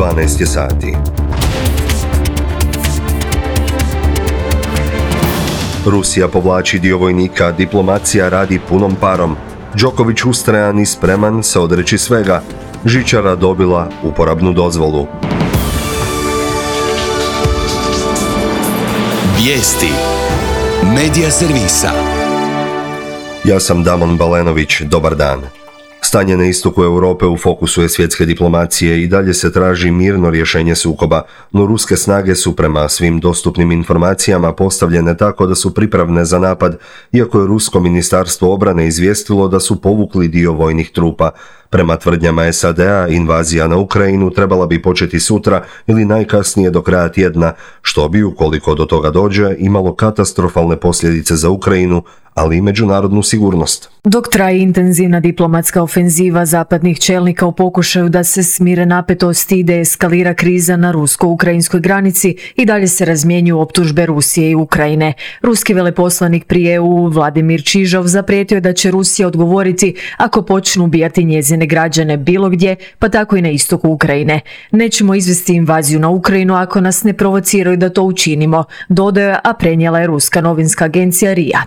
12 je sati. Rusija povlači dio vojnika, diplomacija radi punom parom. Đoković ustrajan i spreman se odreći svega. Žičara dobila uporabnu dozvolu. Vijesti Medija servisa. Ja sam Damon Balenović, dobar dan. Stanje na istoku Europe u fokusu je svjetske diplomacije i dalje se traži mirno rješenje sukoba, no ruske snage su prema svim dostupnim informacijama postavljene tako da su pripravne za napad, iako je Rusko ministarstvo obrane izvijestilo da su povukli dio vojnih trupa. Prema tvrdnjama SAD-a, invazija na Ukrajinu trebala bi početi sutra ili najkasnije do kraja tjedna, što bi, ukoliko do toga dođe, imalo katastrofalne posljedice za Ukrajinu, ali i međunarodnu sigurnost. Dok traje intenzivna diplomatska ofenziva zapadnih čelnika u pokušaju da se smire napetosti i deeskalira kriza na rusko-ukrajinskoj granici, i dalje se razmjenjuju optužbe Rusije i Ukrajine. Ruski veleposlanik pri EU Vladimir Čižov zaprijetio je da će Rusija odgovoriti ako počnu ubijati njezine građane bilo gdje, pa tako i na istoku Ukrajine. Nećemo izvesti invaziju na Ukrajinu ako nas ne provociraju da to učinimo, dodaje, a prenijela je ruska novinska agencija RIA.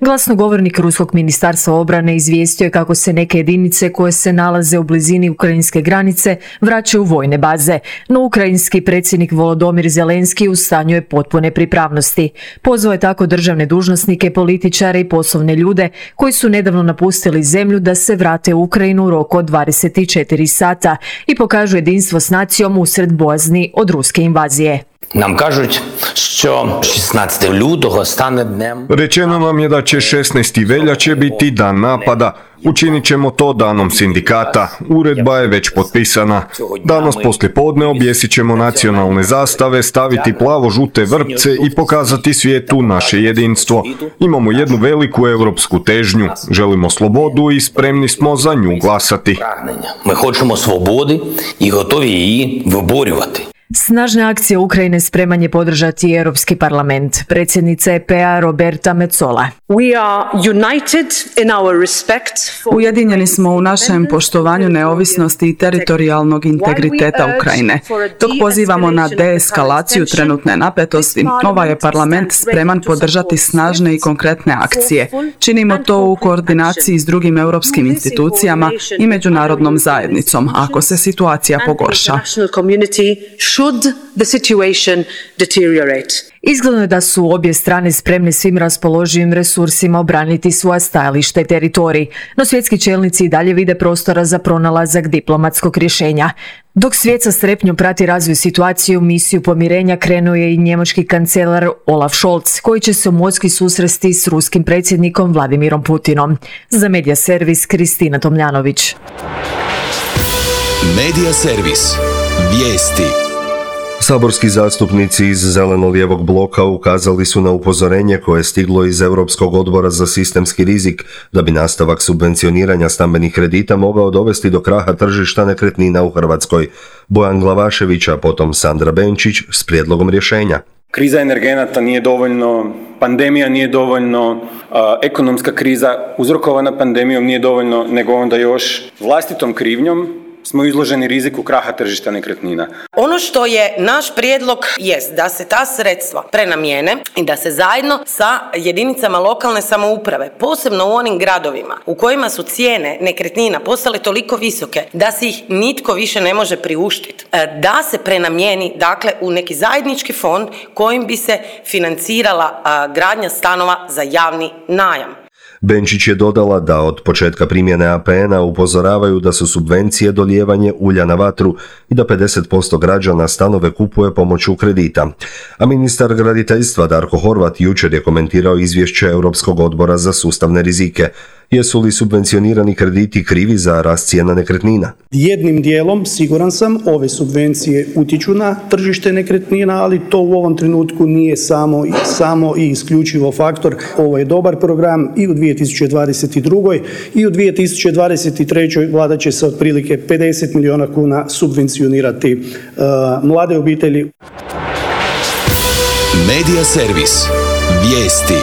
Glasnogovornik Ruskog ministarstva obrane izvijestio je kako se neke jedinice koje se nalaze u blizini ukrajinske granice vraćaju u vojne baze, no ukrajinski predsjednik Volodymyr Zelenski u stanju je potpune pripravnosti. Pozvao je tako državne dužnosnike, političare i poslovne ljude koji su nedavno napustili zemlju da se vrate u Ukrajinu u roku od 24 sata i pokažu jedinstvo s nacijom usred bojazni od ruske invazije. Nam kažуть, що 16 лютого стане днем. Rečeno nam je da će 16. veljače biti dan napada. Učinit ćemo to danom sindikata. Uredba je već potpisana. Danas poslijepodne objesit ćemo nacionalne zastave, staviti plavo-žute vrpce i pokazati svijetu naše jedinstvo. Imamo jednu veliku europsku težnju. Želimo slobodu i spremni smo za nju glasati. Ми хочемо свободи і готові її виборювати. Snažne akcije Ukrajine spreman je podržati i Europski parlament. Predsjednica EP-a Roberta Metsola. Ujedinjeni smo u našem poštovanju neovisnosti i teritorijalnog integriteta Ukrajine. Dok pozivamo na deeskalaciju trenutne napetosti, ovaj je parlament spreman podržati snažne i konkretne akcije. Činimo to u koordinaciji s drugim europskim institucijama i međunarodnom zajednicom, ako se situacija pogorša. Should the situation deteriorate. Izgledno je da su obje strane spremne svim raspoloživim resursima obraniti svoja stajališta i teritorij, no svjetski čelnici i dalje vide prostora za pronalazak diplomatskog rješenja. Dok svijet sa strepnjom prati razvoj situacije, u misiju pomirenja krenuo je i njemački kancelar Olaf Scholz, koji će se u Moskvi susresti s ruskim predsjednikom Vladimirom Putinom. Za Medija servis Kristina Tomljanović. Medija servis. Vijesti. Saborski zastupnici iz zeleno-lijevog bloka ukazali su na upozorenje koje je stiglo iz Europskog odbora za sistemski rizik da bi nastavak subvencioniranja stambenih kredita mogao dovesti do kraha tržišta nekretnina u Hrvatskoj. Bojan Glavašević, a potom Sandra Benčić s prijedlogom rješenja. Kriza energenata nije dovoljno, pandemija nije dovoljno, ekonomska kriza uzrokovana pandemijom nije dovoljno, nego onda još vlastitom krivnjom smo izloženi riziku kraha tržišta nekretnina. Ono što je naš prijedlog jest da se ta sredstva prenamijene i da se zajedno sa jedinicama lokalne samouprave, posebno u onim gradovima u kojima su cijene nekretnina postale toliko visoke da si ih nitko više ne može priuštiti, da se prenamijeni dakle u neki zajednički fond kojim bi se financirala gradnja stanova za javni najam. Benčić je dodala da od početka primjene APN-a upozoravaju da su subvencije dolijevanje ulja na vatru i da 50% građana stanove kupuje pomoću kredita. A ministar graditeljstva Darko Horvat jučer je komentirao izvješće Europskog odbora za sustavne rizike. Jesu li subvencionirani krediti krivi za rast cijena nekretnina? Jednim dijelom, siguran sam, ove subvencije utječu na tržište nekretnina, ali to u ovom trenutku nije samo i isključivo faktor. Ovo je dobar program i u 2022. i u 2023. vlada će se otprilike 50 milijuna kuna subvencionirati mlade obitelji. Medija servis. Vijesti.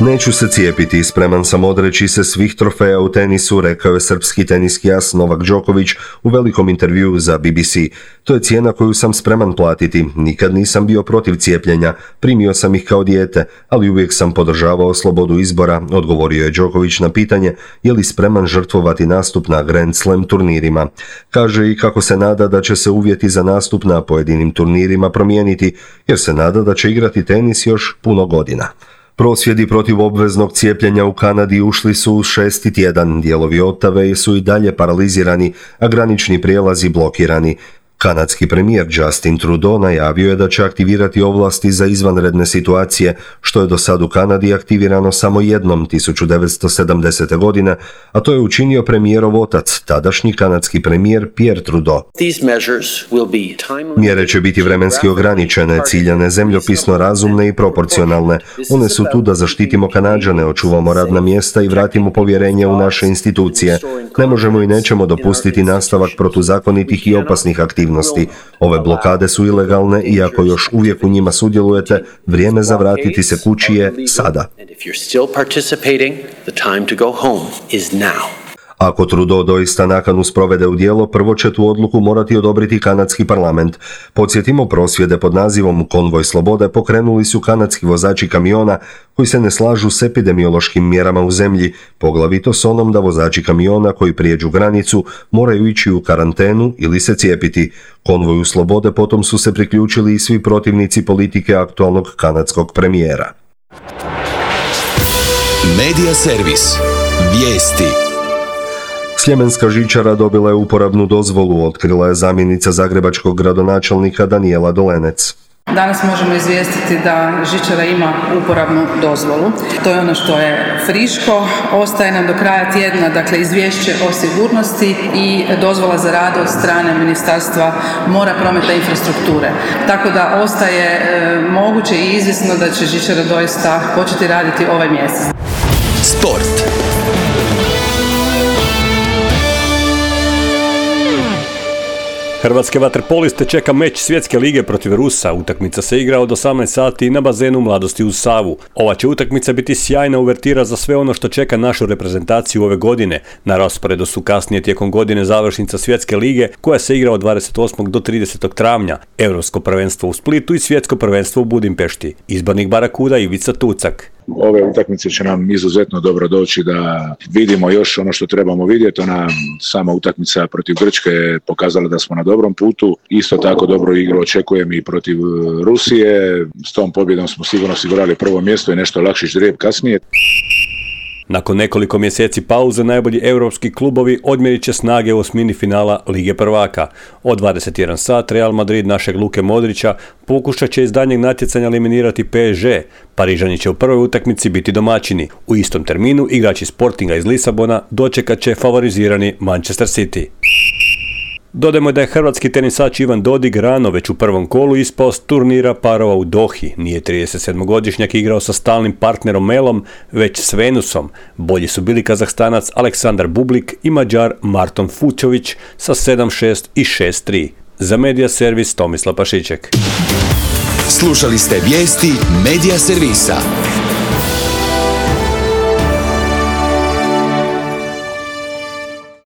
Neću se cijepiti, spreman sam odreći se svih trofeja u tenisu, rekao je srpski teniski as Novak Đoković u velikom intervjuu za BBC. To je cijena koju sam spreman platiti. Nikad nisam bio protiv cijepljenja, primio sam ih kao dijete, ali uvijek sam podržavao slobodu izbora, odgovorio je Đoković na pitanje je li spreman žrtvovati nastup na Grand Slam turnirima. Kaže i kako se nada da će se uvjeti za nastup na pojedinim turnirima promijeniti, jer se nada da će igrati tenis još puno godina. Prosvjedi protiv obveznog cijepljenja u Kanadi ušli su u 6. tjedan, dijelovi Ottave su i dalje paralizirani, a granični prijelazi blokirani. Kanadski premijer Justin Trudeau najavio je da će aktivirati ovlasti za izvanredne situacije, što je do sad u Kanadi aktivirano samo jednom 1970. godine, a to je učinio premijerov otac, tadašnji kanadski premijer Pierre Trudeau. Mjere će biti vremenski ograničene, ciljane, zemljopisno razumne i proporcionalne. One su tu da zaštitimo Kanađane, očuvamo radna mjesta i vratimo povjerenje u naše institucije. Ne možemo i nećemo dopustiti nastavak protuzakonitih i opasnih aktivnosti. Ove blokade su ilegalne i ako još uvijek u njima sudjelujete, vrijeme za vratiti se kući je sada. Ako Trudeau doista nakanu sprovede u djelo, prvo će tu odluku morati odobriti kanadski parlament. Podsjetimo, prosvjede pod nazivom Konvoj slobode pokrenuli su kanadski vozači kamiona koji se ne slažu s epidemiološkim mjerama u zemlji, poglavito s onom da vozači kamiona koji prijeđu granicu moraju ići u karantenu ili se cijepiti. Konvoju slobode potom su se priključili i svi protivnici politike aktualnog kanadskog premijera. Medija servis. Vijesti. Sljemenska žičara dobila je uporabnu dozvolu, otkrila je zamjenica zagrebačkog gradonačelnika Danijela Dolenec. Danas možemo izvijestiti da žičara ima uporabnu dozvolu. To je ono što je friško. Ostaje nam do kraja tjedna, dakle, izvješće o sigurnosti i dozvola za rad od strane Ministarstva mora, prometa i infrastrukture. Tako da ostaje moguće i izvjesno da će žičara doista početi raditi ovaj mjesec. Sport. Hrvatske vaterpoliste čeka meč svjetske lige protiv Rusa. Utakmica se igra od 18 sati na bazenu Mladosti uz Savu. Ova će utakmica biti sjajna uvertira za sve ono što čeka našu reprezentaciju ove godine. Na rasporedu su kasnije tijekom godine završnica svjetske lige koja se igra od 28. do 30. travnja, Europsko prvenstvo u Splitu i svjetsko prvenstvo u Budimpešti. Izbornik Barakuda Ivica Tucak. Ove utakmice će nam izuzetno dobro doći da vidimo još ono što trebamo vidjeti. Ona sama utakmica protiv Grčke je pokazala da smo na dobrom putu. Isto tako dobro igru očekujem i protiv Rusije. S tom pobjedom smo sigurno osigurali prvo mjesto i nešto lakši ždrijeb kasnije. Nakon nekoliko mjeseci pauze najbolji europski klubovi odmjerit će snage u osmini finala Lige prvaka. Od 21 sat Real Madrid našeg Luke Modrića pokušat će iz daljnjeg natjecanja eliminirati PSG. Parižani će u prvoj utakmici biti domaćini. U istom terminu igrači Sportinga iz Lisabona dočekat će favorizirani Manchester City. Dodajmo da je hrvatski tenisač Ivan Dodig rano već u prvom kolu ispao s turnira parova u Dohi. Nije 37-godišnjak igrao sa stalnim partnerom Melom, već s Venusom. Bolji su bili Kazahstanac Aleksandar Bublik i Mađar Marton Fučović sa 7-6 i 6-3. Za Medija servis Tomislav Pašiček. Slušali ste vijesti Medija servisa.